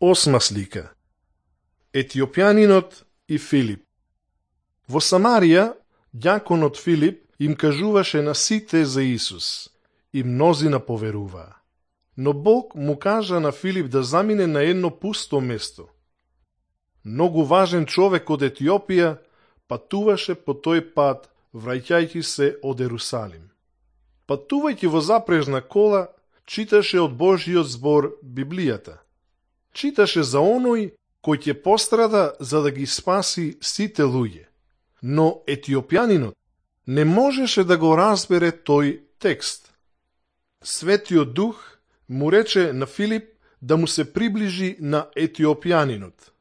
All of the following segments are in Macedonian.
Осма слика. Етиопјанинот и Филип. Во Самарија, ѓаконот Филип им кажуваше на сите за Исус и мнозина поверуваа. Но Бог му кажа на Филип да замине на едно пусто место. Многу важен човек од Етиопија патуваше по тој пат, враќајќи се од Ерусалим. Патувајќи во запрежна кола, читаше од Божиот збор Библијата. Читаше за оној кој ќе пострада за да ги спаси сите луѓе. Но етиопјанинот не можеше да го разбере тој текст. Светиот Дух му рече на Филип да му се приближи на етиопјанинот.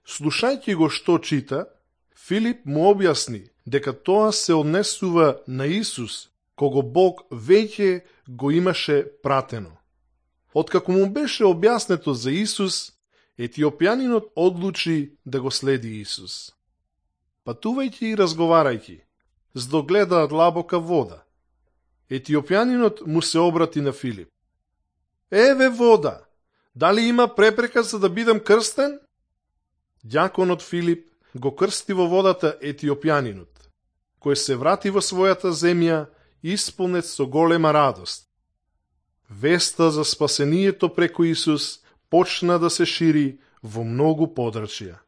Слушајќи го што чита, Филип му објасни дека тоа се однесува на Исус, кого Бог веќе го имаше пратено. Откако му беше објаснето за Исус, етиопјанинот одлучи да го следи Исус. Патувајќи и разговарајќи, здогледаат длабока вода. Етиопјанинот му се обрати на Филип. Еве вода, дали има препрека за да бидам крстен? Ѓаконот Филип го крсти во водата етиопјанинот, кој се врати во својата земја исполнет со голема радост. Веста за спасението преку Исус почна да се шири во многу подрачја.